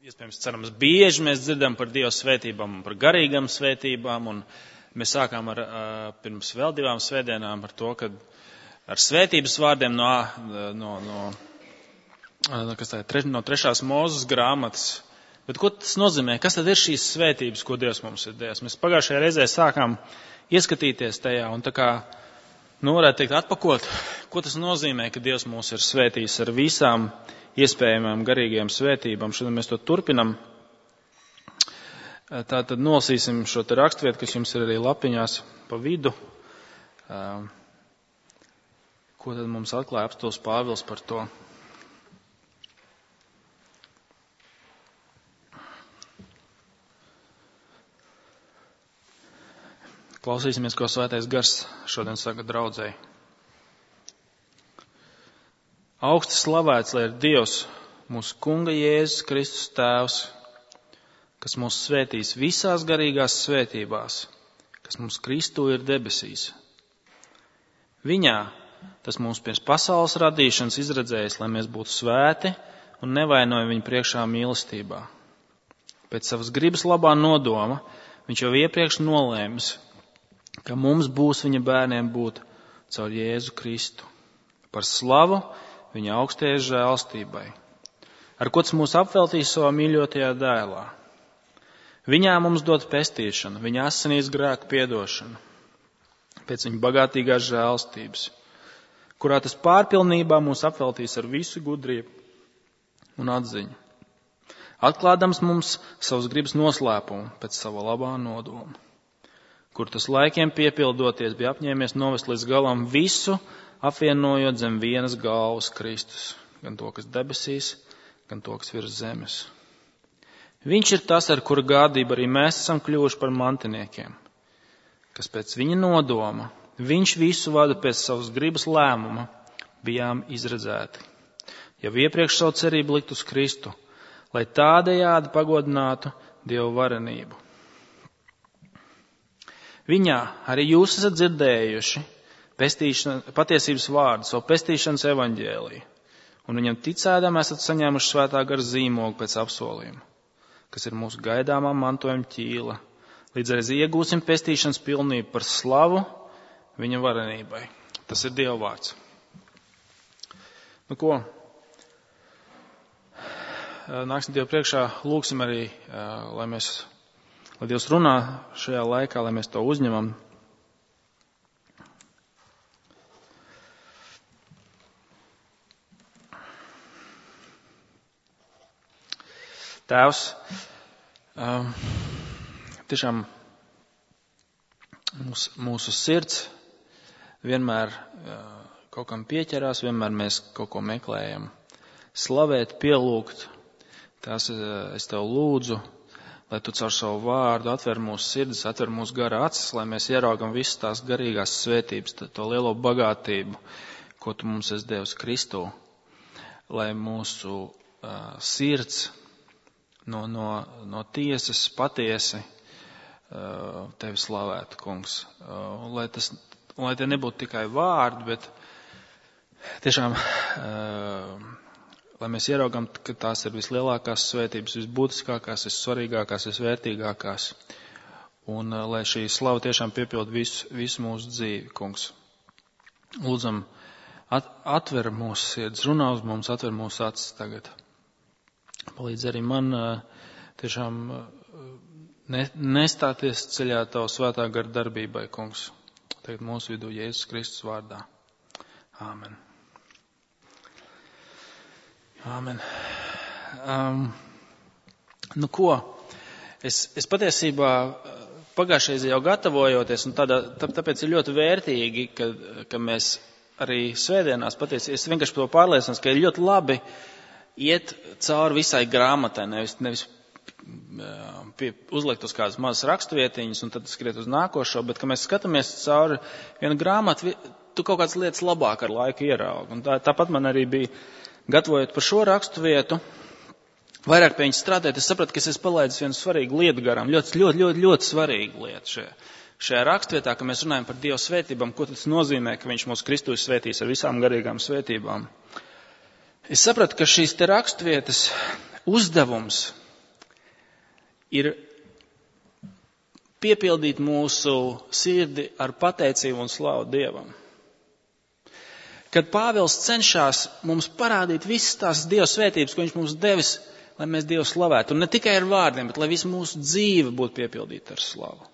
Iespējams, cerams, bieži mēs dzirdam par Dieva svētībām un par garīgām svētībām, un mēs sākām pirms vēl 2 svētdienām ar to, ka ar svētības vārdiem no 3. Mūzes grāmatas. Bet ko tas nozīmē? Kas tad ir šīs svētības, ko Dievs mums ir devis? Mēs pagājušajā reizē sākām ieskatīties tajā un tā kā, varētu teikt, atpakot, ko tas nozīmē, ka Dievs mūs ir svētījis ar visām iespējamām garīgajām svētībām. Šodien mēs to turpinam. Tātad nolasīsim šo te raksturvietu, kas jums ir arī lapiņās pa vidu. Ko tad mums atklāja apostols Pāvils par to? Klausīsimies, ko Svētais Gars šodien saka draudzei. Augsti slavēts, lai ir Dievs, mūsu Kunga Jēzus Kristus Tēvs, kas mūs svētīs visās garīgās svētībās, kas mums Kristū ir debesīs. Viņā tas mūs pirms pasaules radīšanas izredzējis, lai mēs būtu svēti un nevainojam viņu priekšā mīlestībā. Pēc savas gribas labā nodoma viņš jau iepriekš nolēmis, ka mums būs viņa bērniem būt caur Jēzu Kristu. Par slavu viņa augstajai žēlstībai, ar ko tas mūs apveltīs savā mīļotajā dēlā. Viņā mums dot pestīšanu, viņa asinīs grēku piedošanu, pēc viņa bagātīgās žēlstības, kurā tas pārpilnībā mūs apveltīs ar visu gudrību un atziņu, atklādams mums savas gribas noslēpumu pēc sava labā nodoma, kur tas laikiem piepildoties bija apņēmies novest līdz galam visu, apvienojot zem vienas galvas Kristus, gan to, kas debesīs, gan to, kas virs zemes. Viņš ir tas, ar kuru gādību arī mēs esam kļuvuši par mantiniekiem, kas pēc viņa nodoma, viņš visu vada pēc savas gribas lēmuma, bijām izredzēti. Jau iepriekš savu cerību likt uz Kristu, lai tādējādi pagodinātu Dievu varenību. Viņā arī jūs esat dzirdējuši patiesības vārdu, savu pestīšanas evaņģēliju, un viņam ticēdam esat saņēmuši Svētā Gara zīmogu pēc apsolījuma, kas ir mūsu gaidāmā mantojuma ķīla, līdz arī iegūsim pestīšanas pilnību par slavu viņa varenībai. Tas ir Dieva vārds. Ko? Nāksim Dievu priekšā, lūksim arī, lai Dievs runā šajā laikā, lai mēs to uzņemam. Tēvs, tiešām mūsu sirds vienmēr kaut kam pieķerās, vienmēr mēs kaut ko meklējam. Slavēt, pielūgt, tās es tev lūdzu, lai tu caur savu vārdu atver mūsu sirdis, atver mūsu gara acis, lai mēs ieraugam visas tās garīgās svētības, to lielo bagātību, ko tu mums esi devis Kristū, lai mūsu sirds no tiesas patiesi tevi slavētu, kungs. Lai tie nebūtu tikai vārdi, bet tiešām, lai mēs ieraugam, ka tās ir vislielākās svētības, visbūtiskākās, vissvarīgākās, visvērtīgākās. Un lai šī slava tiešām piepild visu mūsu dzīvi, kungs. Lūdzam, atver mūsu sirds, runā uz mums, atver mūsu acis tagad. Palīdz arī man tiešām nestāties ceļā tavu Svētā Gara darbībai, kungs. Tagad mūsu vidū Jēzus Kristus vārdā. Āmen. Āmen. Es patiesībā pagājušajā jau gatavojoties, un tāpēc ir ļoti vērtīgi, ka mēs arī svētdienās patiesībā, es vienkārši to pārliecinos, ka ir ļoti labi iet cauri visai grāmatai, nevis uzlikt uz kādas mazas rakstuvietiņas un tad skriet uz nākošo, bet, ka mēs skatāmies cauri vienu grāmatu, tu kaut kādas lietas labāk ar laiku ieraugi. Un tāpat man arī bija, gatavojot par šo raksturvietu, vairāk pie viņas strādāt, es sapratu, ka es esmu palaidis vienu svarīgu lietu garām, ļoti svarīgu lietu šajā raksturvietā, ka mēs runājam par Dieva svētībām, ko tas nozīmē, ka viņš mūs Kristū svētīs ar visām garīgām svētībām. Es sapratu, ka šīs te raksturvietas uzdevums ir piepildīt mūsu sirdi ar pateicību un slavu Dievam. Kad Pāvils cenšas mums parādīt visas tās Dieva svētības, ko viņš mums devis, lai mēs Dievu slavētu. Un ne tikai ar vārdiem, bet lai visu mūsu dzīve būtu piepildīta ar slavu.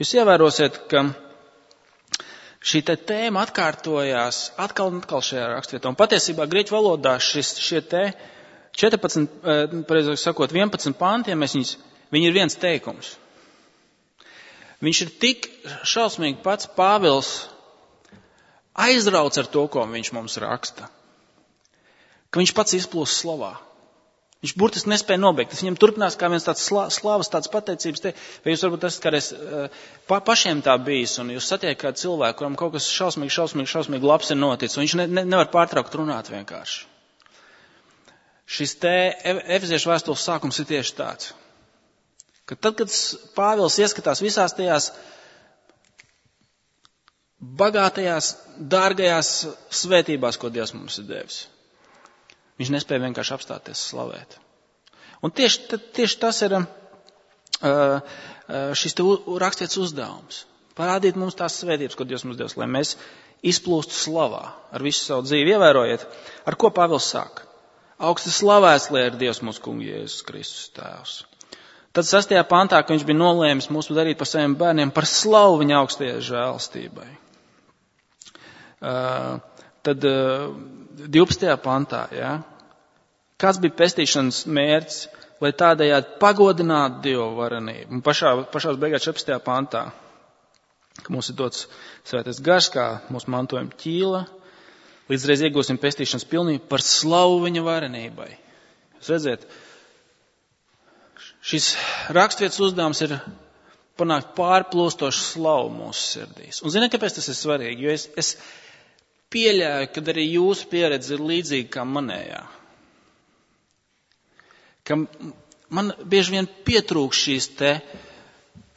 Jūs ievērosiet, ka šī tēma atkārtojās atkal un atkal šajā rakstvietā. Un patiesībā grieķu valodā šie 14, pareizāk sakot, 11 panti, viņi ir viens teikums. Viņš ir tik šausmīgi pats Pāvils aizrauc ar to, ko viņš mums raksta, ka viņš pats izplūst slavā. Viņš burtiski nespēja nobeigt. Tas viņam turpinās kā viens tāds slavas, tāds pateicības te. Vai jūs varbūt esat kādreiz pašiem tā bijis, un jūs satiekat kādu cilvēku, kuram kaut kas šausmīgi labs ir noticis, un viņš nevar pārtraukt runāt vienkārši. Šis te Efeziešu vēstules sākums ir tieši tāds, ka tad, kad Pāvils ieskatās visās tajās bagātajās, dārgajās svētībās, ko Dievs mums ir devis, viņš nespēja vienkārši apstāties slavēt. Un tieši tas ir šis te rakstīts uzdevums. Parādīt mums tās svētības, ko Dievs mums devis, lai mēs izplūstu slavā ar visu savu dzīvi. Ievērojiet, ar ko Pāvils sāk. Augsti slavēts, lai ir Dievs mūsu kungs Jēzus Kristus tēvs. Tad 6. pantā, ka viņš bija nolēmis mūs darīt par saviem bērniem, par slavu viņa augstajai žēlastībai. Tad 12. pantā, ja, kāds bija pestīšanas mērķis, lai tādējādi pagodinātu Dievu varenību. Un pašās beigās 14. pantā, ka mums ir dots svētais gars, kā mūsu mantojuma ķīla, līdzreiz iegūsim pestīšanas pilnību par slavu viņa varenībai. Jūs redzēt, šis rakstvietas uzdevums ir panākt pārplūstošu slavu mūsu sirdīs. Un ziniet, kāpēc tas ir svarīgi? Jo es pieļauju, ka arī jūsu pieredze ir līdzīga kā manējā. Ka man bieži vien pietrūk šīs te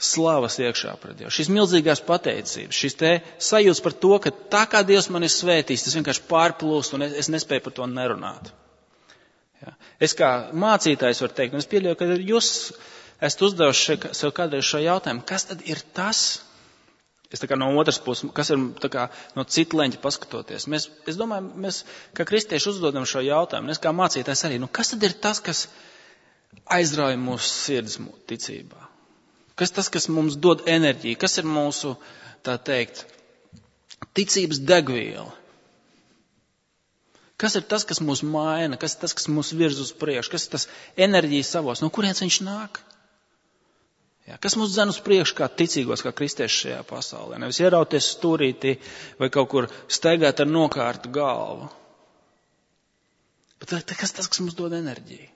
slavas iekšā pret Dievu, šīs milzīgās pateicības, šīs te sajūtas par to, ka tā kā Dievs man ir svētījis, tas vienkārši pārplūst un es nespēju par to nerunāt. Ja. Es kā mācītājs varu teikt, un es pieļauju, ka jūs esat uzdevuši sev kādreiz šo jautājumu, kas tad ir tas? Es tā kā no otras puses, kas ir tā kā no cita leņķa paskatoties. Es domāju, mēs kā kristieši uzdodam šo jautājumu, un es kā mācītājs arī, kas tad ir tas, kas aizrauja mūsu sirds ticībā? Kas tas, kas mums dod enerģiju? Kas ir mūsu, tā teikt, ticības degviela? Kas ir tas, kas mūs maina? Kas ir tas, kas mūs virz uz priekšu? Kas ir tas enerģijas savos? No kurienes viņš nāk? Jā, kas mūs dzen uz priekšu kā ticīgos, kā kristieši šajā pasaulē? Nevis ierauties stūrītī vai kaut kur staigāt ar nokārtu galvu. Bet kas tas, kas mums dod enerģiju?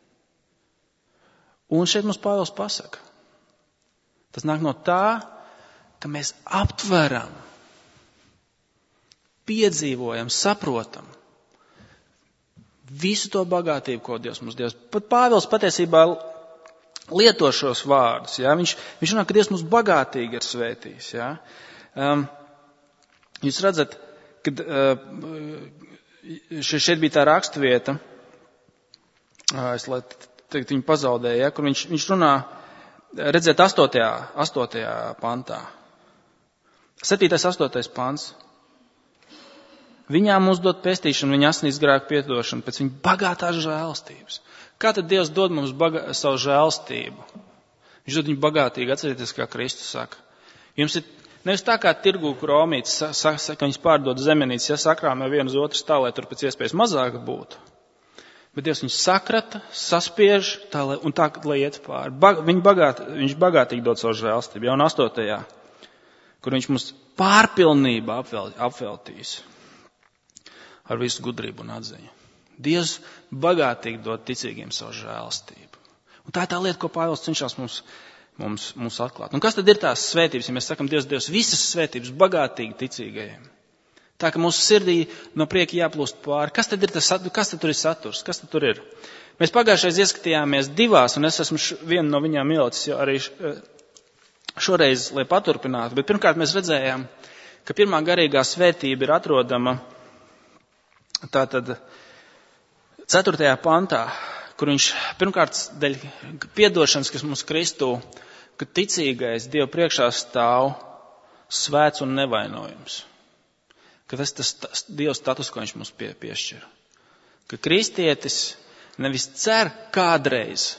Un šeit mums Pāvils pasaka. Tas nāk no tā, ka mēs aptveram, piedzīvojam, saprotam visu to bagātību, ko Dievs mums devis. Pat Pāvils patiesībā lieto šos vārdus. Ja? Viņš runā, ka Dievs mums bagātīgi ir svētījis. Ja? Jūs redzat, kad šeit bija tā rakstvieta, es lai tagad viņu pazaudēju, ja? Kur viņš runā, redzēt 8. pantā. 7. 8. pants. Viņām mums dod pestīšanu, viņa asinīs grēku piedošanu pēc viņa bagātās žēlastības. Kā tad Dievs dod mums savu žēlastību? Viņš dod viņu bagātīgi, atcerieties, kā Kristus saka. Jums ir nevis tā kā tirgū, kur omītis saka, ka viņas pārdod zemenītes, ja sakrāmē vienu uz otru tā, lai tur pēc iespējas mazāk būtu. Bet Dievs viņus sakrata, saspiež un tā, lai iet pāri. Viņš bagātīgi dod savu žēlastību. Jau un 8. kur viņš mums pārpilnībā apveltīs ar visu gudrību un atziņu. Dievs bagātīgi dod ticīgiem savu žēlastību. Un tā ir tā lieta, ko Pāvils cenšas mums atklāt. Un kas tad ir tās svētības, ja mēs sakam, Dievs visas svētības bagātīgi ticīgajiem? Tā, ka mūsu sirdī no prieka jāplūst pāri. Kas tad tur ir saturs? Kas tad tur ir? Mēs pagājušais ieskatījāmies 2, un es esmu vienu no viņām ielicis arī šoreiz, lai paturpinātu. Bet pirmkārt mēs redzējām, ka pirmā garīgā svētība ir atrodama tātad 4. pantā, kur viņš pirmkārt dēļ piedošanas, kas mums Kristū, ka ticīgais Dievu priekšā stāv svēts un nevainojums. Ka tas Dieva status, ko viņš mums piešķir. Ka kristietis nevis cer kādreiz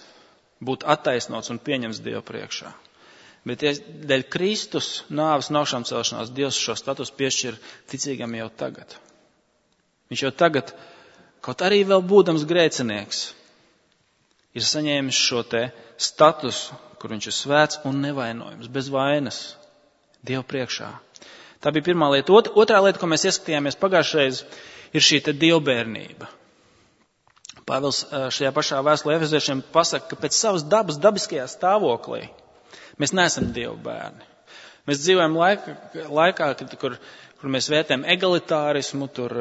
būt attaisnots un pieņems Dievu priekšā. Bet dēļ Kristus nāves un augšām celšanās Dievs šo status piešķir ticīgam jau tagad. Viņš jau tagad, kaut arī vēl būdams grēcinieks, ir saņēmis šo te statusu, kur viņš ir svēts un nevainojams, bez vainas, Dievu priekšā. Tā bija pirmā lieta. Otrā lieta, ko mēs ieskatījāmies pagājušreiz, ir šī te dievbērnība. Pāvils šajā pašā vēstulē Efeziešiem pasaka, ka pēc savas dabas dabiskajā stāvoklī mēs neesam Dieva bērni. Mēs dzīvojam laikā, kur mēs vērtējam egalitārismu, tur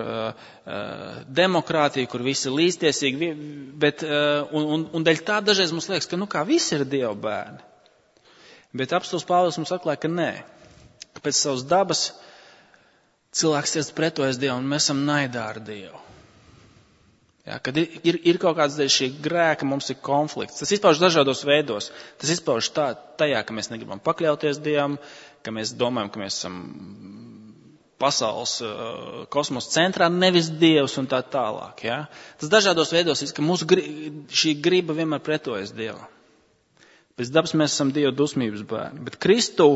demokrātiju, kur visi ir līdztiesīgi, bet, un dēļ tā dažreiz mums liekas, ka kā visi ir Dieva bērni. Bet apostols Pāvils mums atklāja, ka nē, ka pēc savas dabas cilvēks iet pretojas Dievam, un mēs esam naidā ar Dievu. Ja, kad ir kaut kāds dēļ šī grēka, mums ir konflikts. Tas izpauž dažādos veidos. Tas izpauž tajā, ka mēs negribam pakļauties Dievam, ka mēs domājam, ka mēs esam pasaules kosmosa centrā, nevis Dievs un tā tālāk. Ja. Tas dažādos veidos ir, ka mūsu šī griba vienmēr pretojas Dievam. Pēc dabas mēs esam Dieva dusmības bērni. Bet Kristū,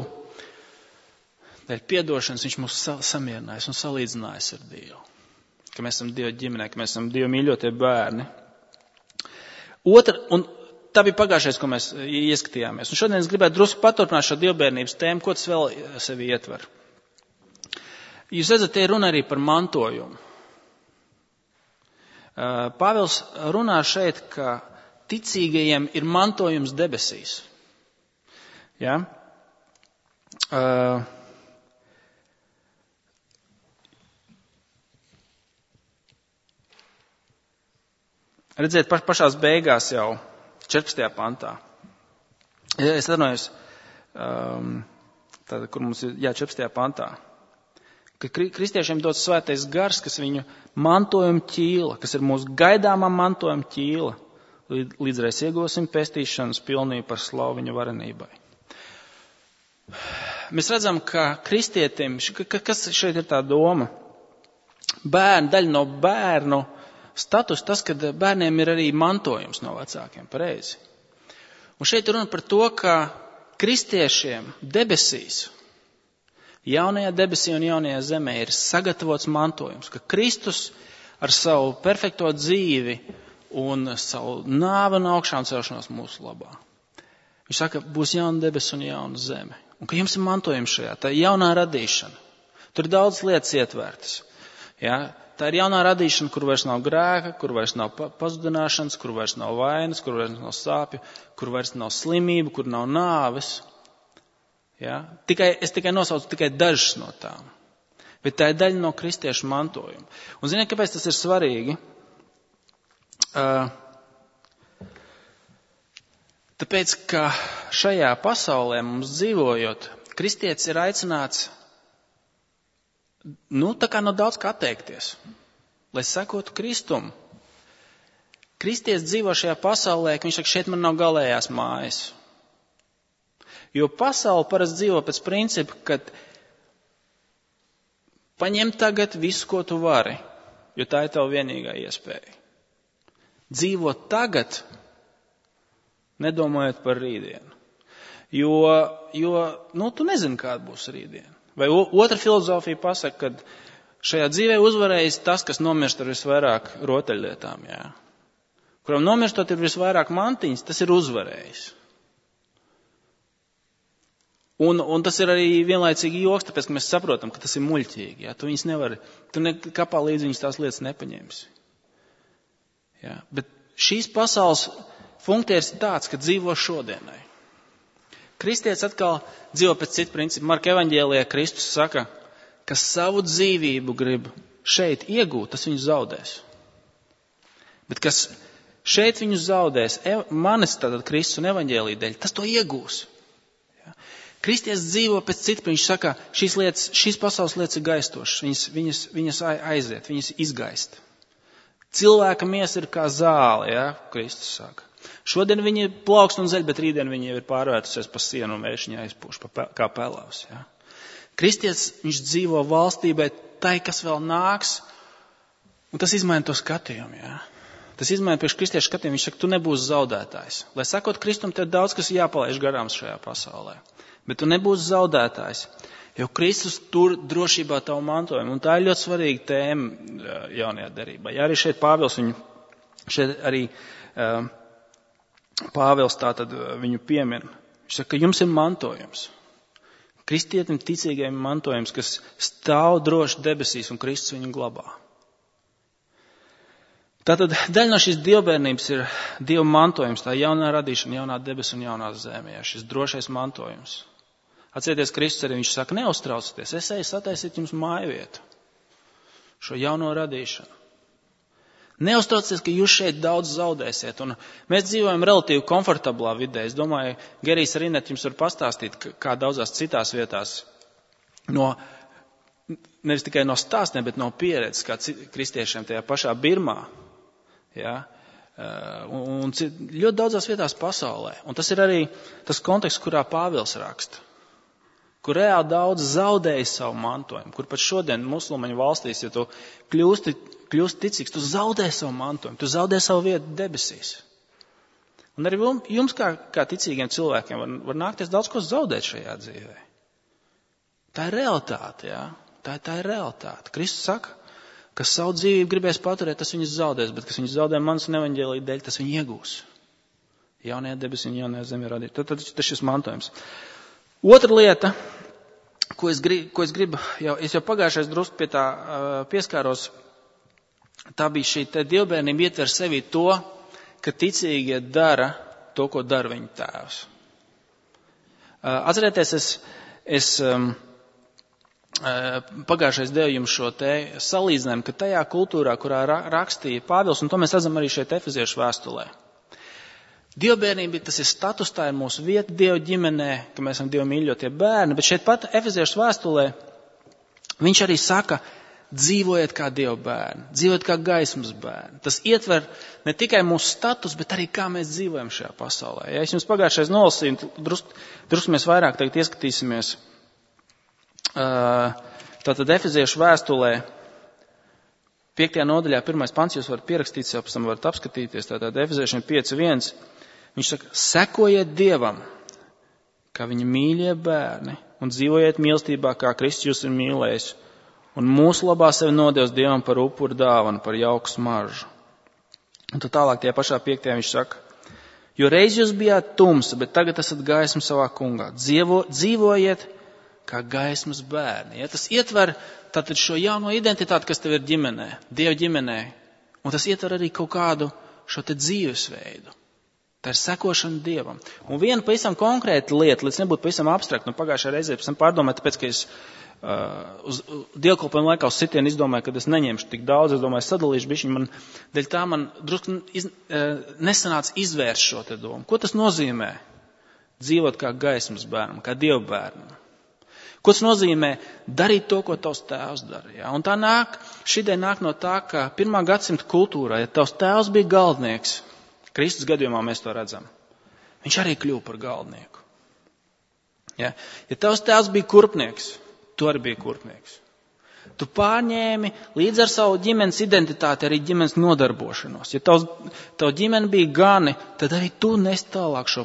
dēļ piedošanas, viņš mūs samierinājis un salīdzinājis ar Dievu. Ka mēs esam Dieva ģimenē, ka mēs esam Dieva mīļotie bērni. Un tā bija pagājušais, ko mēs ieskatījāmies. Un šodien es gribētu drusku paturpināt šo dievbērnības tēmu, ko tas vēl sevi ietver. Jūs redzat, te runa arī par mantojumu. Pāvils runā šeit, ka ticīgajiem ir mantojums debesīs. Ja? Redziet, pašās beigās jau 14. pantā. Es atvainojos, kur mums ir 14. pantā. Ka kristiešiem dots svētais gars, kas viņu mantojuma ķīla, kas ir mūsu gaidāmā mantojuma ķīla, līdzreiz iegūsim pestīšanas pilnību par slavu viņa varenībai. Mēs redzam, ka kristietim, kas šeit ir tā doma? Daļa no bērnu status tas, ka bērniem ir arī mantojums no vecākiem, pareizi. Un šeit runa par to, ka kristiešiem debesīs, jaunajā debesī un jaunajā zemē ir sagatavots mantojums, ka Kristus ar savu perfekto dzīvi un savu nāvi un augšām celšanos mūsu labā. Viņš saka, būs jauna debesis un jauna zeme. Un ka jums ir mantojums šajā, tā ir jaunā radīšana. Tur ir daudz lietas ietvērtas. Ja? Tā ir jaunā radīšana, kur vairs nav grēka, kur vairs nav pazudināšanas, kur vairs nav vainas, kur vairs nav sāpju, kur vairs nav slimību, kur nav nāves. Ja? Es tikai nosaucu tikai dažas no tām. Bet tā ir daļa no kristiešu mantojuma. Un ziniet, kāpēc tas ir svarīgi? Tāpēc, ka šajā pasaulē mums dzīvojot, kristietis ir aicināts tā kā no daudz kā atteikties, lai sekotu Kristumu. Kristietis dzīvo šajā pasaulē, ka viņš saka, šeit man nav galējās mājas. Jo pasaule parasti dzīvo pēc principa, ka paņem tagad visu, ko tu vari, jo tā ir tava vienīgā iespēja. Dzīvo tagad, nedomājot par rītdienu. Jo tu nezini, kāda būs rītdiena. Vai otra filozofija pasaka, ka šajā dzīvē uzvarējis tas, kas nomirst ar visvairāk rotaļlietām. Jā. Kuram nomirstot ir visvairāk mantiņas, tas ir uzvarējis. Un tas ir arī vienlaicīgi joks, tāpēc, ka mēs saprotam, ka tas ir muļķīgi. Jā. Tu viņas nevari, tu kapā līdz viņas tās lietas nepaņemsi. Jā. Bet šīs pasaules funkcijas ir tāds, ka dzīvo šodienai. Kristietis atkal dzīvo pēc citu principu. Marka evaņģēlijā Kristus saka, ka savu dzīvību grib šeit iegūt, tas viņu zaudēs. Bet kas šeit viņu zaudēs, manis tātad Kristus un evaņģēlija dēļ, tas to iegūs. Ja? Kristietis dzīvo pēc citu, viņš saka, šīs pasaules lietas ir gaistošas, viņas aiziet, viņas izgaist. Cilvēka miesa ir kā zāle, ja, Kristus saka. Šodien viņi plaukst un zeļ, bet rītdien viņi jau ir pārvērtusies pa sienu un vējš viņa aizpūš kā pelavs. Ja. Kristietis, viņš dzīvo valstībai tai, kas vēl nāks, un tas izmaina to skatījumu. Ja. Tas izmaina priekš kristiešu skatījumu. Viņš saka, tu nebūsi zaudētājs. Lai sakot Kristum, tev daudz, kas jāpalaiž garām šajā pasaulē. Bet tu nebūsi zaudētājs. Jo Kristus tur drošībā tavu mantojumu. Un tā ir ļoti svarīga tēma jaunajā derībā. Ja arī šeit Pāvils Pāvils tātad viņu piemin. Viņš saka, ka jums ir mantojums. Kristietim ticīgajiem mantojums, kas stāv droši debesīs un Kristus viņu glabā. Tātad daļa no šīs dievbērnības ir Dieva mantojums, tā jaunā radīšana, jaunā debes un jaunā zeme. Ja, šis drošais mantojums. Atcerieties, Kristus arī viņš saka, neuztraucieties, es eju sataisīt jums mājvietu, šo jauno radīšanu. Neuztraucieties, ka jūs šeit daudz zaudēsiet. Un mēs dzīvojam relatīvi komfortablā vidē. Es domāju, Gerijs Rinet jums var pastāstīt, kā daudzās citās vietās, nevis tikai no stāstiem, bet no pieredzes, kā kristiešiem tajā pašā Birmā. Ja? Un ļoti daudzās vietās pasaulē. Un tas ir arī tas konteksts, kurā Pāvils raksta. Kur reāli daudz zaudēja savu mantojumu, kur pat šodien musulmaņu valstīs, ja tu kļūsti ticīgs, tu zaudē savu mantojumu, tu zaudē savu vietu debesīs. Un arī jums kā ticīgiem cilvēkiem var nākties daudz ko zaudēt šajā dzīvē. Tā ir realitāte, jā. Tā ir realitāte. Kristus saka, kas savu dzīvību gribēs paturēt, tas viņus zaudēs, bet kas viņus zaudē manas un evaņģēlija dēļ, tas viņi iegūs. Jaunajā debesī un jaunajā zemē radīt. Tad šis mantojums. Otra lieta, ko es gribu, es jau pagājušais drusku pie tā pieskāros, tā bija šī te dievbērnība ietver sevī to, ka ticīgie dara to, ko dara viņu tēvs. Atcerieties, es pagājušais devu jums šo te salīdzinājumu, ka tajā kultūrā, kurā rakstīja Pāvils, un to mēs redzam arī šeit Efeziešu vēstulē. Dievbērnība, tas ir status, tā ir mūsu vieta Dieva ģimenē, ka mēs esam Dieva mīļotie bērni, bet šeit pat Efeziešu vēstulē viņš arī saka, dzīvojiet kā Dieva bērni, dzīvojiet kā gaismas bērni. Tas ietver ne tikai mūsu status, bet arī kā mēs dzīvojam šajā pasaulē. Ja es jums pagājušais nolasīju, drusku mēs vairāk tagad ieskatīsimies. Tātad Efeziešu vēstulē 5. nodaļā 1. pants, jūs varat pierakstīt, jau pēc tam varat apskatīties, tātad Efeziešiem 5.1. Viņš saka, sekojiet Dievam, kā viņa mīļie bērni, un dzīvojiet mīlestībā, kā Kristus jūs ir mīlējis, un mūsu labā sevi nodevis Dievam par upuru dāvanu, par jauku smaržu. Un tad tālāk tie pašā 5. viņš saka, jo reiz jūs bijāt tumsa, bet tagad esat gaisma savā kungā. Dzīvojiet kā gaismas bērni. Ja, tas ietver tātad šo jauno identitāti, kas tev ir ģimenē, Dieva ģimenē, un tas ietver arī kaut kādu šo te dzīvesveidu. Tā ir sekošana Dievam. Un viena pavisam konkrēta lieta, līdz nebūtu pavisam abstrakt, pagājušajā reizē pēc tam pārdomāju, tāpēc, ka es uz dievkalpojumu laikā uz sitienu izdomāju, ka es neņemšu tik daudz, es domāju, sadalīšu bišķiņu, dēļ tā man drusku nesanāca izvērst šo te domu. Ko tas nozīmē? Dzīvot kā gaismas bērnam, kā Dieva bērnam. Ko tas nozīmē? Darīt to, ko tavs tēvs dara. Ja? Un tā šī nāk no tā, ka 1. gadsimta kultūrā, ja tavs tēvs bija galdnieks, Kristus gadījumā mēs to redzam, viņš arī kļuva par galdnieku. Ja tavs tēvs bija kurpnieks, tu arī biji kurpnieks. Tu pārņēmi līdz ar savu ģimenes identitāti arī ģimenes nodarbošanos. Ja tavu ģimene bija gani, tad arī tu nes tālāk šo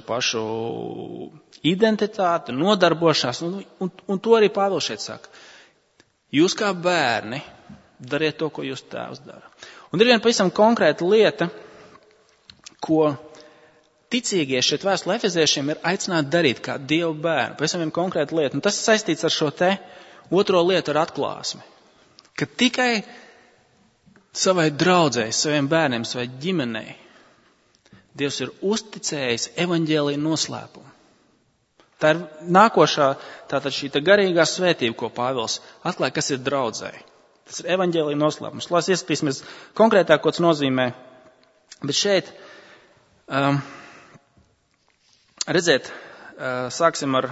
pašu identitāti, nodarbošanās, un to arī Pāvils šeit saka. Jūs kā bērni dariet to, ko jūs tēvs dara. Un ir viena pavisam konkrēta lieta, ko ticīgie šeit vēstulē Efeziešiem ir aicināti darīt kā Dieva bērni. Pavisam viena konkrēta lieta. Un tas ir saistīts ar šo te otro lietu ar atklāsmi. Ka tikai savai draudzei, saviem bērniem, savai ģimenei Dievs ir uzticējis evaņģēlija noslēpumu. Tā ir nākošā, tātad šī garīgā svētība, ko Pāvils atklāja, kas ir draudzei. Tas ir evaņģēlija noslēpums. Lai ieskatīsimies konkrētāk, ko tas nozīmē. Bet šeit, redziet, sāksim ar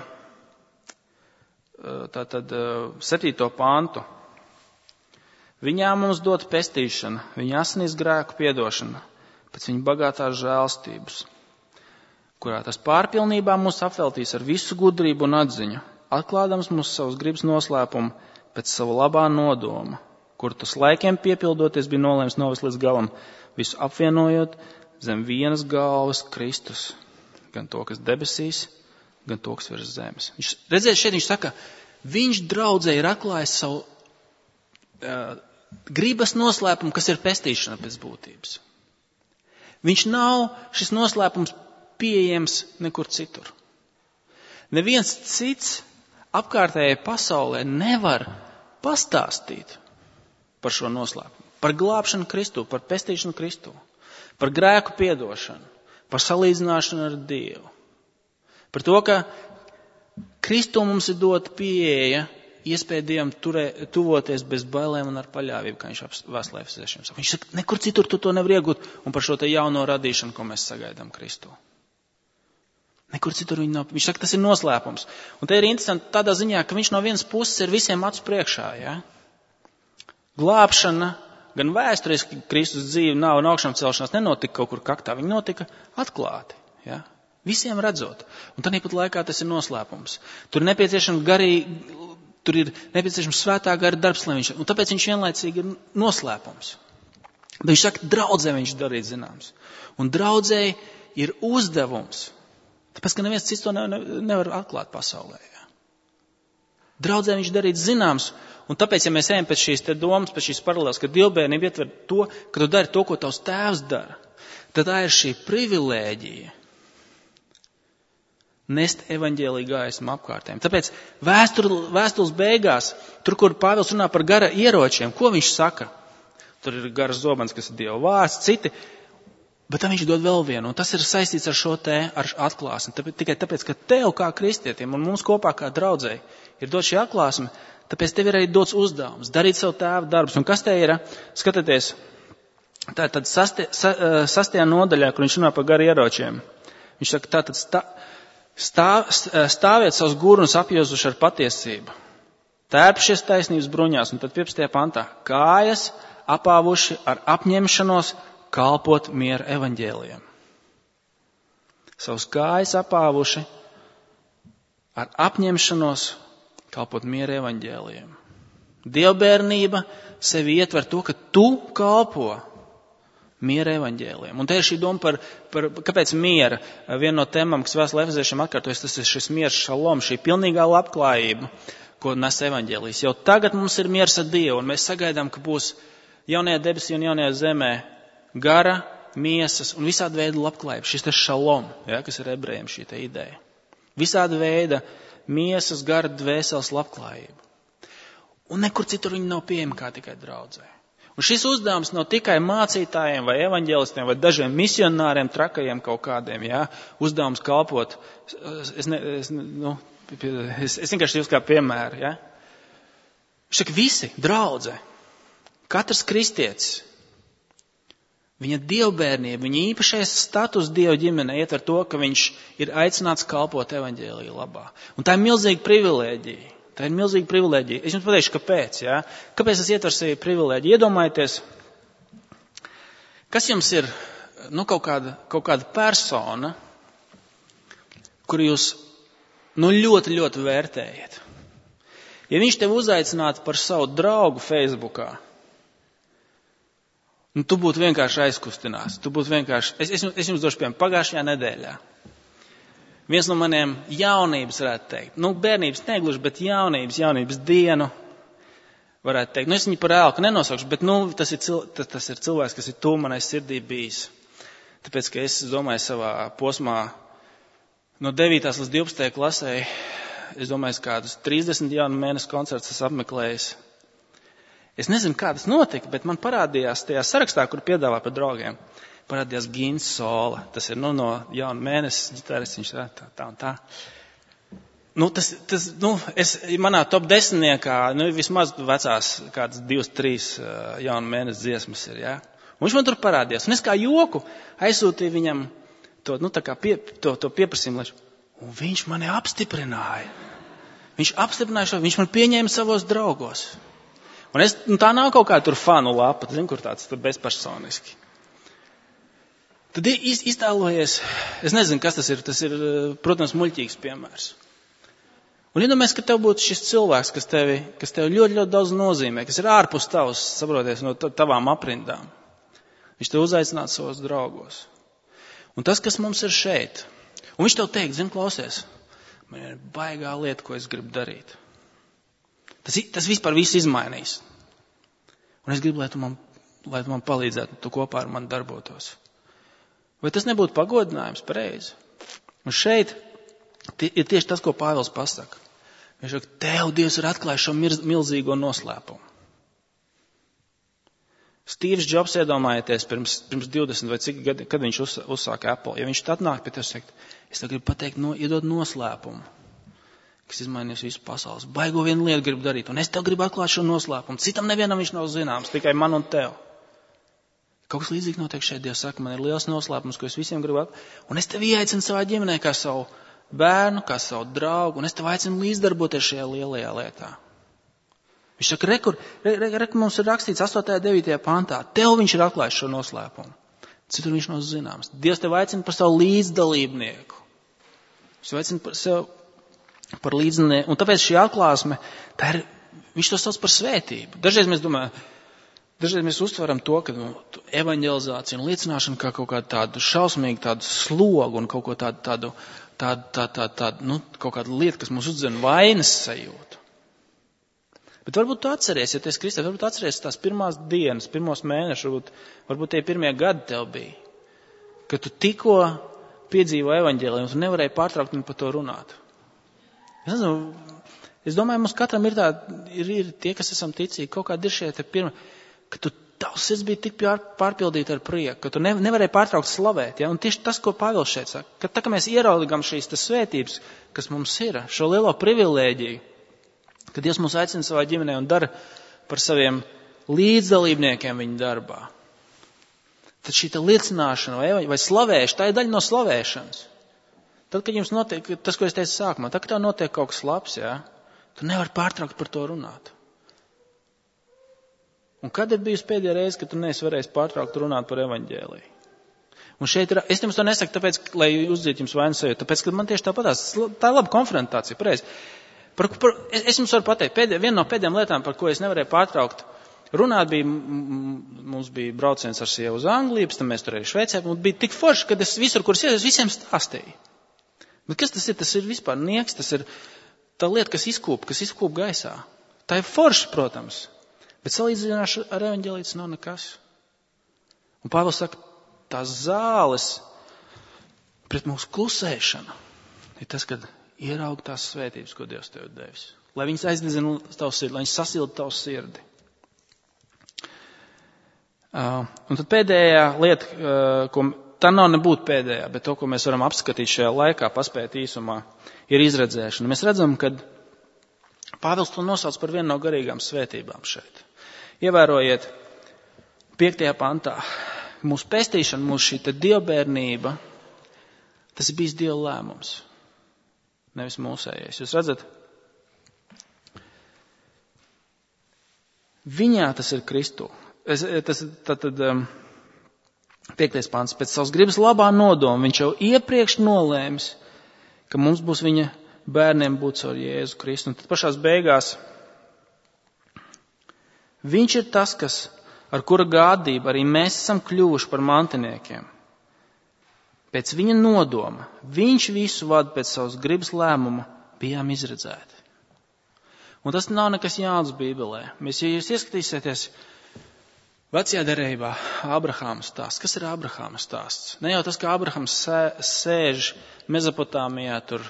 tātad 7. pāntu. Viņā mums dot pestīšana, viņa asinīs grēku piedošana, pēc viņa bagātās žēlstības, kurā tas pārpilnībā mūs apveltīs ar visu gudrību un atziņu, atklādams mūsu savus gribas noslēpumu pēc sava labā nodoma, kur tas laikiem piepildoties bija nolēms novest līdz galam, visu apvienojot zem vienas galvas Kristus, gan to, kas debesīs, gan to, kas virs zemes. Redziet, šeit viņš saka, viņš draudzē ir atklājis savu gribas noslēpumu, kas ir pestīšana pēc būtības. Viņš nav šis noslēpums pieejams nekur citur. Neviens cits apkārtējai pasaulē nevar pastāstīt par šo noslēpumu, par glābšanu Kristū, par pestīšanu Kristū, par grēku piedošanu, par salīdzināšanu ar Dievu, par to, ka Kristū mums ir dota pieeja, iespēja Dievam tuvoties bez bailēm un ar paļāvību, kā viņš vēstulē Efeziešiem saka. Viņš saka, nekur citur tu to nevar iegūt, un par šo te jauno radīšanu, ko mēs sagaidām Kristū. Nekur citur viņa nav. Viņš saka, tas ir noslēpums. Un te ir interesanti tādā ziņā, ka viņš no vienas puses ir visiem acu priekšā, ja? Glābšana, gan vēsturiski Kristus dzīve nav un augšām celšanās nenotika kaut kur kaktā, viņa notika atklāti, ja? Visiem redzot. Un tāpat laikā tas ir noslēpums. Tur ir nepieciešams svētā gara darbs, un tāpēc viņš vienlaicīgi ir noslēpums. Bet viņš saka, draudzē viņš darīt zināms. Un draudzē ir uzdevums. Tāpēc, ka neviens cits to nevar atklāt pasaulē. Ja? Draudzē viņš darīt zināms. Un tāpēc, ja mēs ejam pēc šīs te domas, pēc šīs paralēlas, ka dievbērnība ietver to, ka tu dari to, ko tavs tēvs dara, tad tā ir šī privilēģija nest evaņģēliju gaismu apkārtējiem. Tāpēc vēstules beigās, tur, kur Pāvils runā par gara ieročiem, ko viņš saka? Tur ir garas zobens, kas ir Dieva vārds, citi, bet tam viņš dod vēl vienu, un tas ir saistīts ar šo te, ar atklāsmi. Tikai tāpēc, ka tev kā kristietim un mums kopā kā draudzēji ir dot šī atklāsme, tāpēc tev ir arī dots uzdevums, darīt savu tēva darbus. Un kas te ir? Skatieties, tā tad 6. nodaļā, kur viņš runā par garu ieročiem. Viņš saka, tātad stāviet savus gurnus apjozuši ar patiesību, tērpšies taisnības bruņās, un tad 15. pantā, kājas apāvuši ar apņemšanos kalpot miera evaņģēlijam. Savus kājas apāvuši ar apņemšanos kalpot miera evaņģēlijam. Dievbērnība sevi ietver to, ka tu kalpo miera evaņģēlijam. Un te ir šī doma par kāpēc miera. Viena no tēmām, kas vēstulē Efeziešiem atkārtojas, tas ir šis miers šalom, šī pilnīgā labklājība, ko nes evaņģēlijs. Jau tagad mums ir miers ar Dievu, un mēs sagaidām, ka būs jaunajā debesī un jaunajā zemē gara, miesas un visāda veida labklājība. Šis te šalom, ja, kas ir ebrejiem šī te ideja. Visāda veida miesas, gara, dvēseles labklājība. Un nekur citur viņi nav pieejami kā tikai draudzē. Un šis uzdevums nav tikai mācītājiem vai evaņģēlistiem vai dažiem misionāriem, trakajiem kaut kādiem, jā, uzdevums kalpot. Es vienkārši jūs kā piemēru, jā. Šak visi, draudze, katrs kristietis, viņa dievbērnība, viņa īpašais status Dieva ģimenē ietver to, ka viņš ir aicināts kalpot evaņģēliju labā. Un tā ir milzīga privilēģija. Tā ir milzīga privilēģija. Es jums pateikšu, kāpēc. Ja? Kāpēc tas ietver sevi privilēģiju? Iedomājieties, kas jums ir kaut kāda persona, kuru jūs ļoti, ļoti vērtējat. Ja viņš tev uzaicinātu par savu draugu Facebookā, tu būtu vienkārši aizkustinās. Es jums došu piemēram pagājušajā nedēļā. Viens no maniem jaunības, varētu teikt, bērnības negluži, bet jaunības dienu, varētu teikt. Es viņu par ēlku nenosaukšu, bet tas ir cilvēks, kas ir tuvu manai sirdī bijis. Tāpēc, ka es domāju savā posmā no 9. līdz 12. klasē, es domāju, kādus 30 jaunu mēnešu koncertus esmu apmeklējis. Es nezinu, kā tas notika, bet man parādījās tajā sarakstā, kur piedāvā par draugiem. Parādījās Gins Sola. Tas ir no jauna mēnesis ģitāris, viņš tā un tā. Manā top 10 vismaz vecās kādas 2-3 jauna mēnesis dziesmas ir, jā. Un viņš man tur parādījās. Un es kā joku aizsūtīju viņam to pieprasījumu. Un viņš mani apstiprināja. Viņš man pieņēma savos draugos. Un tā nav kaut kā tur fanu lapa, zinu, kur tāds tur bezpersoniski. Tad iztēlojies, es nezinu, kas tas ir, protams, muļķīgs piemērs. Un iedomājies, ka tev būtu šis cilvēks, kas tev ļoti, ļoti daudz nozīmē, kas ir ārpus tavs, saproties, no tavām aprindām. Viņš tev uzaicinātu savos draugos. Un tas, kas mums ir šeit, un viņš tev teikt, zini, klausies, man ir baigā lieta, ko es gribu darīt. Tas vispār viss izmainīs. Un es gribu, lai tu man palīdzētu, tu kopā ar mani darbotos. Vai tas nebūtu pagodinājums pareizi? Un šeit ir tieši tas, ko Pāvils pasaka. Viņš saka, tev Dievs ir atklājis šo milzīgo noslēpumu. Stīvs Džobs, iedomājieties, pirms 20 vai cik gadi, kad viņš uzsāka Apple. Ja viņš tad nāk pie tev sakt, es tev gribu pateikt, iedod noslēpumu, kas izmainīs visu pasaules. Baigo vienu lietu gribu darīt, un es tev gribu atklāt šo noslēpumu. Citam nevienam viņš nav zināms, tikai man un tev. Kaut kas līdzīgi notiek šeit. Dievs saka, man ir liels noslēpums, ko es visiem gribu atklāt. Un es tev ieaicinu savā ģimenē kā savu bērnu, kā savu draugu, un es tev aicinu līdzdarboties šajā lielajā lietā. Viņš saka, re, mums ir rakstīts 8. 9. pantā. Tev viņš ir atklājis šo noslēpumu. Citur viņš nav zināms. Dievs tev aicina par savu līdzdalībnieku. Viņš aicina par sev par līdzdalībnieku. Un tāpēc šī atklāsme, viņš to sauc par svētību. Dažreiz mēs uztveram to, ka evanģelizācija un liecināšana kā kaut kādu tādu šausmīgu tādu slogu un kaut ko tādu kaut kādu lietu, kas mums uzdzen vainas sajūtu. Bet varbūt tu atceries, ja tu esi kristietis, varbūt atceries tās pirmās dienas, pirmos mēnešus, varbūt tie pirmie gadi tev bija, kad tu tikko piedzīvo evaņģēliju un tu nevarēji pārtraukt un par to runāt. Es domāju, mums katram ir tie, kas esam ticīgi, kaut kādi ir šie te pirmie, ka tavs sirds bija tik pārpildīta ar prieku, ka tu nevarēji pārtraukt slavēt. Ja? Un tieši tas, ko Pāvils šeit saka, ka tā kā mēs ieraugam šīs svētības, kas mums ir, šo lielo privilēģiju, kad Dievs mūs aicina savā ģimenē un dara par saviem līdzdalībniekiem viņa darbā. Tad šī liecināšana vai slavēšana, tā ir daļa no slavēšanas. Tad, kad jums notiek, tas, ko es teicu sākumā, tad, kad tev notiek kaut kas labs, ja, tu nevari pārtraukt par to runāt. Un kad ir bijusi pēdējā reize, kad tu neesi varējis pārtraukt runāt par evaņģēliju? Un šeit es jums to nesaku, tāpēc, lai uzdzītu jums vainas sajūtu, tāpēc, ka man tieši tāpatās, tā ir laba konfrontācija, pareizi. Es jums varu pateikt, viena no pēdējām lietām, par ko es nevarēju pārtraukt runāt, mums bija brauciens ar sievu uz Angliju, pēc tam mēs tur arī Šveicē, un bija tik forši, kad es visur, kur es visiem stāstīju. Bet kas tas ir? Tas ir vispār nieks, tas ir tā lieta, kas izkūp gaisā. Tā ir forši, protams, bet salīdzināšu ar evaņģēliju nav nekas. Un Pāvils saka, tās zāles pret mūsu klusēšanu ir tas, kad ieraug tās svētības, ko Dievs tev devis. Lai viņas aizdedzina tavu sirdi, lai viņas sasilda tavu sirdi. Un tad pēdējā lieta, tā nav nebūt pēdējā, bet to, ko mēs varam apskatīt šajā laikā, paspēt īsumā, ir izredzēšana. Mēs redzam, ka Pāvils to nosauc par vienu no garīgām svētībām šeit. Ievērojiet 5. pantā. Mūsu pestīšana, mūsu šī dievbērnība, tas ir bijis Dieva lēmums. Nevis mūsējais. Jūs redzat? Viņā tas ir Kristū. Tātad 5. pants. Pēc savas gribas labā nodoma viņš jau iepriekš nolēmis, ka mums būs viņa bērniem būt caur Jēzu Kristu. Un tad pašās beigās viņš ir tas, ar kura gādību arī mēs esam kļuvuši par mantiniekiem. Pēc viņa nodoma, viņš visu vada pēc savas gribas lēmuma, bijām izredzēti. Un tas nav nekas jauns Bībelē. Ja jūs ieskatīsieties vecajā derībā, Abrahāma stāsts. Kas ir Abrahāma stāsts? Ne jau tas, ka Abrahams sēž Mezopotāmijā, tur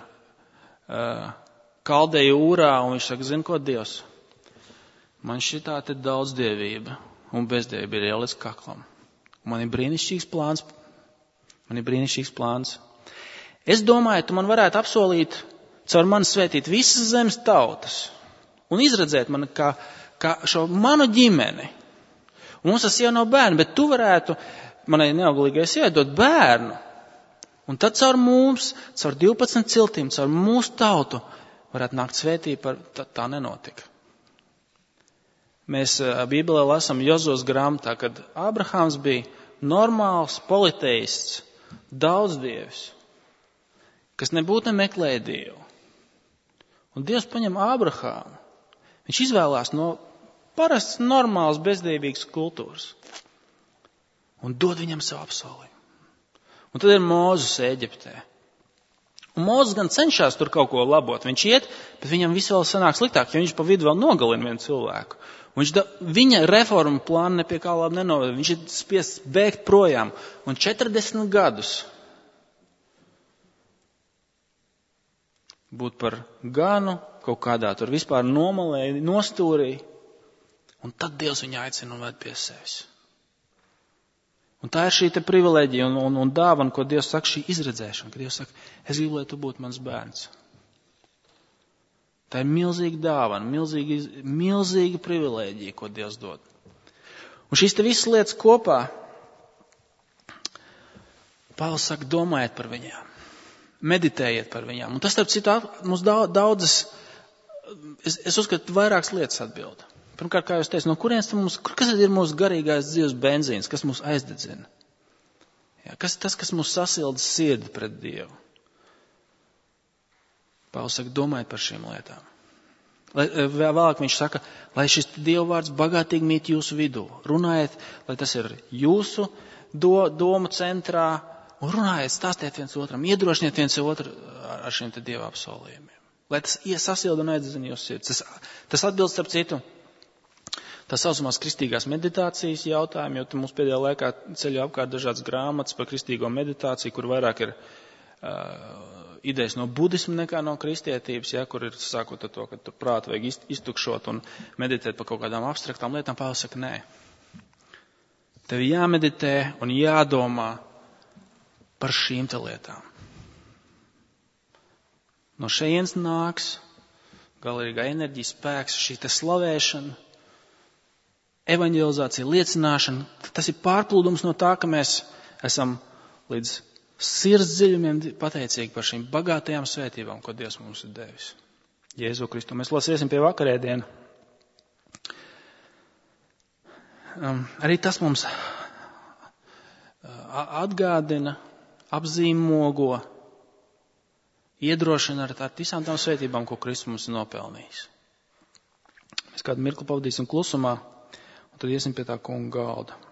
Kaldeju Ūrā, un viņš saka, zini ko, Dievs? Man šitā te daudzdievība un bezdievība ir ielicis kaklam. Man ir brīnišķīgs plāns. Es domāju, tu man varētu apsolīt caur mani svētīt visas zemes tautas un izredzēt man kā šo manu ģimeni. Un mums tas jau nav bērni, bet tu varētu manai neauglīgai sievai dot bērnu. Un tad caur mums, caur 12 ciltīm, caur mūsu tautu varētu nākt svētība, tā nenotika. Mēs Bībelē lasām Jozos grāmatā, kad Ābrahāms bija normāls politeists, daudzdievis, kas nebūtu nemeklēja Dievu. Un Dievs paņem Ābrahāmu. Viņš izvēlās no parasts, normāls, bezdīvīgas kultūras un dod viņam savu apsolījumu. Un tad ir Mūzes Ēģiptē. Un Mūzes gan cenšas tur kaut ko labot. Viņš iet, bet viņam viss vēl sanāk sliktāk, jo viņš pa vidu vēl nogalina vienu cilvēku. Viņa reforma plāna nepie kā labi nenovada. Viņš ir spiests bēgt projām. Un 40 gadus būt par ganu kaut kādā tur vispār nomalē, nostūrī. Un tad Dievs viņu aicina un ved pie sevis. Un tā ir šī te privileģija un dāvana, ko Dievs saka, šī izredzēšana. Ka Dievs saka, es gribu, lai tu būtu mans bērns. Tā ir milzīga dāvana, milzīga privileģija, ko Dievs dod. Un šīs te visas lietas kopā, Pāvils saka, domājiet par viņām. Meditējiet par viņām. Un tas, starp citu, mums daudzas, es uzskatu, vairākas lietas atbild. Pirmkārt, kā jūs teicat, no kurienes kas ir mūsu garīgais dzīves benzīns, kas mūs aizdedzina? Jā, kas mūs sasilda sirdi pret Dievu? Pāvils saka, domājiet par šīm lietām. Vēlāk viņš saka, lai šis Dieva vārds bagātīgi mīt jūsu vidū. Runājiet, lai tas ir jūsu domu centrā, un runājiet, stāstiet viens otram, iedrošiniet viens otru ar šiem te Dieva apsolījumiem. Lai tas sasilda un aizdedzina jūsu sirds. Tas atbilst, starp citu, tā saucamās kristīgās meditācijas jautājumu, jo mums pēdējā laikā ceļo apkārt dažādas grāmatas par kristīgo meditāciju, kur vairāk ir idejas no budismu nekā no kristietības, ja, kur ir sākot ar to, ka tu prātu vajag iztukšot un meditēt par kaut kādām abstraktām lietām. Pāvils saka, nē. Tev jāmeditē un jādomā par šīm te lietām. No šejienes nāks galīgā enerģija, spēks, šī te slavēšana, evaņģelizācija, liecināšana. Tas ir pārplūdums no tā, ka mēs esam līdz sirds dziļumiem pateicīgi par šīm bagātajām svētībām, ko Dievs mums ir devis. Jēzu Kristu. Mēs lasiesim pie vakarēdienu. Arī tas mums atgādina, apzīmogo, iedrošina ar visām tām svētībām, ko Kristus mums ir nopelnījis. Mēs kādu mirkli pavadīsim klusumā, un tad iesim pie tā kunga galda.